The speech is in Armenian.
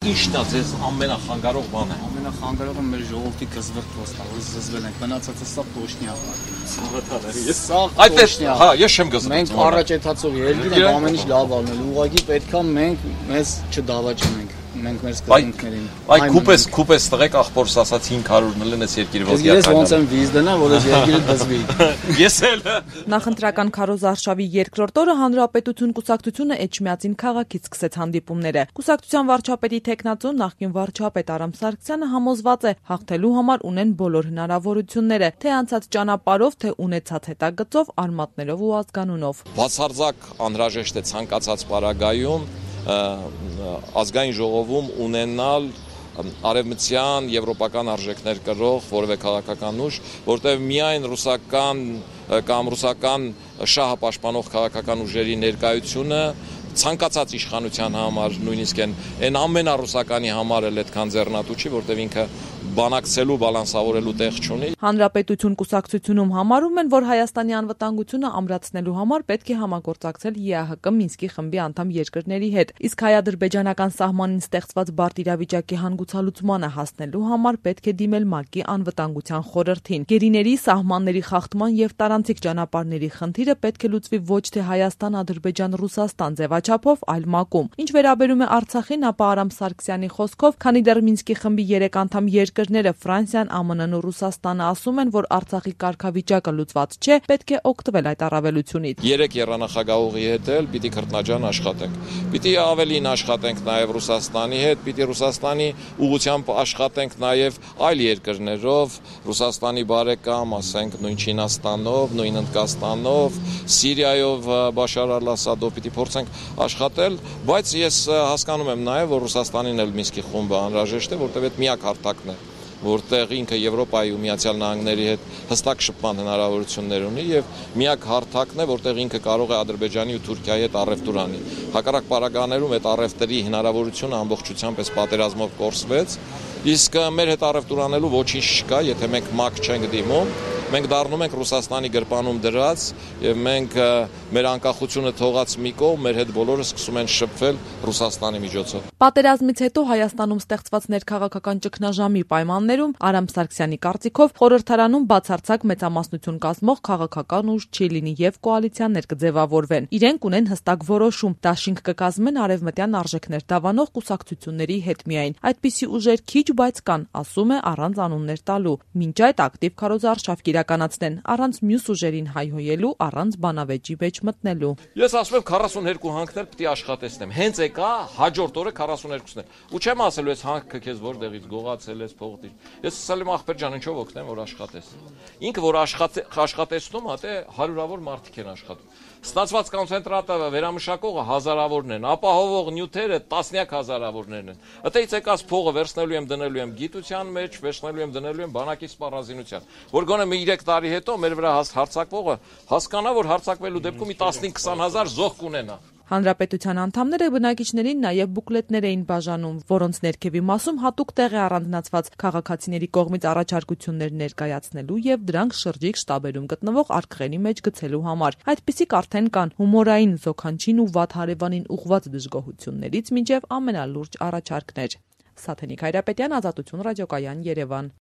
Ի՞նչն է ձեզ ամենախանգարող բանը։ Ամենախանգարողը մեր ժողովրդի գզվրտոցն է, որ զզվել ենք, մնացածը սա տոշնյա։ Այդպես, հա, ես չեմ գզվում։ Մենք առաջեցածով երկիր ենք ամեն ինչ լավ անել, ուղղակի պետքա մենք մեզ չդավաճանենք։ Մենք մեր սկզբունքներին։ Այ քուպես տղեկ ախորս ասած 500 լնես երկիրը ոսկի ես ոնց եմ վիզ դնա, որ այս երկիրը դզվի։ Ես էլ։ Նախընտրական քարոզարշավի երկրորդ օրը Հանրապետություն կուսակցությունը Էջմիածին քաղաքից սկսեց հանդիպումները։ Կուսակցության վարչապետի տեխնացու նախկին վարչապետ Արամ Սարգսյանը համոզված է, հաղթելու համար ունեն բոլոր հնարավորությունները, թե անցած ճանապարհով, թե ունեցած հետագծով, արմատներով ու ազգանունով։ Բացարձակ անհրաժեշտ է ցանկացած պարագայում ազգային ժողովում ունենալ արևմտյան եվրոպական արժեքներ կրող որևէ քաղաքական ուժ, որտեղ միայն ռուսական կամ ռուսական շահը պաշտպանող քաղաքական ուժերի ներկայությունը ցանկացած իշխանության համար, նույնիսկ այն ամենառուսականի համար էլ այդքան ձեռնատու չի, որտեղ ինքը բանակցելու, բալանսավորելու տեղ չունի։ Հանրապետություն կուսակցությունում համարում են, որ Հայաստանի անվտանգությունը ամրացնելու համար պետք է համագործակցել ԵԱՀԿ Մինսկի խմբի անդամ երկրների հետ, իսկ հայ-ադրբեջանական սահմանին ստեղծված բարդ իրավիճակի հանգուցալուծմանը հասնելու համար պետք է դիմել ՄԱԿ-ի անվտանգության խորհրդին։ Գերիների, սահմանների խախտման եւ տարանցիկ ճանապարհների խնդիրը պետք է լուծվի ոչ թե Հայաստան-Ադրբեջան-Ռուսաստան ձևաչափով, այլ ՄԱԿ-ում։ Ինչ վերաբերում է Արցախին, ապա Արամ Սարգսյանի խոսքով, քանի դեռ Մինսկի խմբի 3 անդամ երկրները Ֆրանսիան, ԱՄՆ-ն ու Ռուսաստանը ասում են, որ Արցախի կարգավիճակը լուծված չէ, պետք է օգտվել այդ առավելությունից։ 3 երանախագահողի հետ էլ պիտի քրտնաջան աշխատենք։ Պիտի ավելին աշխատենք նաև Ռուսաստանի հետ, պիտի Ռուսաստանի ուղղությամբ աշխատենք նաև այլ երկրներով, Ռուսաստանի բարեկամ, ասենք նույն Չինաստանով, նույն Հնդկաստանով, Սիրիայով Բաշար al-Ասադով պիտի փորձենք աշխատել, բայց ես հասկանում եմ նաև, որ Ռուսաստանին էլ Մինսկի խումբը անհրաժեշտ է, որտեղ այդ միակ հարթակն է, որտեղ ինքը Եվրոպայի ու Միացյալ Նահանգների հետ հստակ շփման հնարավորություններ ունի եւ միակ հարթակն է, որտեղ ինքը կարող է Ադրբեջանի ու Թուրքիայի հետ առևտուր անի։ Հակառակ պարագաներում այդ առևտրի հնարավորությունը ամբողջությամբ այս պատերազմով կորսվեց, իսկ մեր հետ առևտուր անելու ոչինչ չկա, եթե մենք ՄԱԿ չենք դիմում, մենք դառնում ենք Ռուսաստանի գրպանում դրած եւ մենք մեր անկախությունը թողած մի կողմ, մեր հետ բոլորը սկսում են շփվել Ռուսաստանի միջոցով։ Պատերազմից հետո Հայաստանում ստեղծված ներքաղաքական ճգնաժամի պայմաններում Արամ Սարգսյանի կարծիքով խորհրդարանում բացարձակ մեծամասնություն կազմող քաղաքական ուժ չի լինի եւ կոալիցիաներ կձևավորվեն։ Իրենք ունեն հստակ որոշում, դաշինք կկազմեն արևմտյան արժեքներ դավանող կուսակցությունների հետ միայն։ Այդպիսի ուժեր քիչ, բայց կան, ասում է, առանց անուններ տալու։ Մինչ այդ ակտիվ քարոզարշավ կիրականացնեն, առանց մյուս ուժերին հայհոյելու, առանց բանավեճի մեջ մտնելու։ Ես ասում եմ 42 հանքներ պիտի աշխատեցնեմ։ Հենց եկա հաջորդ օրը 42-ն է։ Ու չեմ ասելու ես հանքը քեզ որտեղից գողացել ես փողտի։ Ես ասել եմ ախպեր ջան, ինչով օգնեմ, որ աշխատես։ Ինքը որ աշխատեցնում, հա թե հարյուրավոր մարդիկ են աշխատում։ Ստացված կոնցենտրատը վերամշակողը հազարավորն են, ապահովող նյութերը տասնյակ հազարավորներն են։ Այդտեղից եկած փողը վերցնելու եմ դնելու եմ գիտության մեջ, վերցնելու եմ դնելու եմ բանակի սպառազինության։ Որ գոնե մի 3 տարի հետո մեր վրա հարձակվողը հասկանա, որ հարձակվելու դեպքում մի 15-20 հազար զոհ կունենա։ Հանրապետության անդամները բնակիչներին նաև բուկլետներ էին բաժանում, որոնց ներքևի մասում հատուկ տեղ է առանձնացված քաղաքացիների կողմից առաջարկություններ ներկայացնելու եւ դրանք շրջիկ շտաբերում գտնվող արկղերի մեջ գցելու համար։ Այդպիսիք արդեն կան հումորային, զոքանչին ու վատ հարևանին ուղղված դժգոհություններից մինչև ամենալուրջ առաջարկներ։ Սաթենիկ Հայրապետյան, Ազատություն ռադիոկայան, Երևան։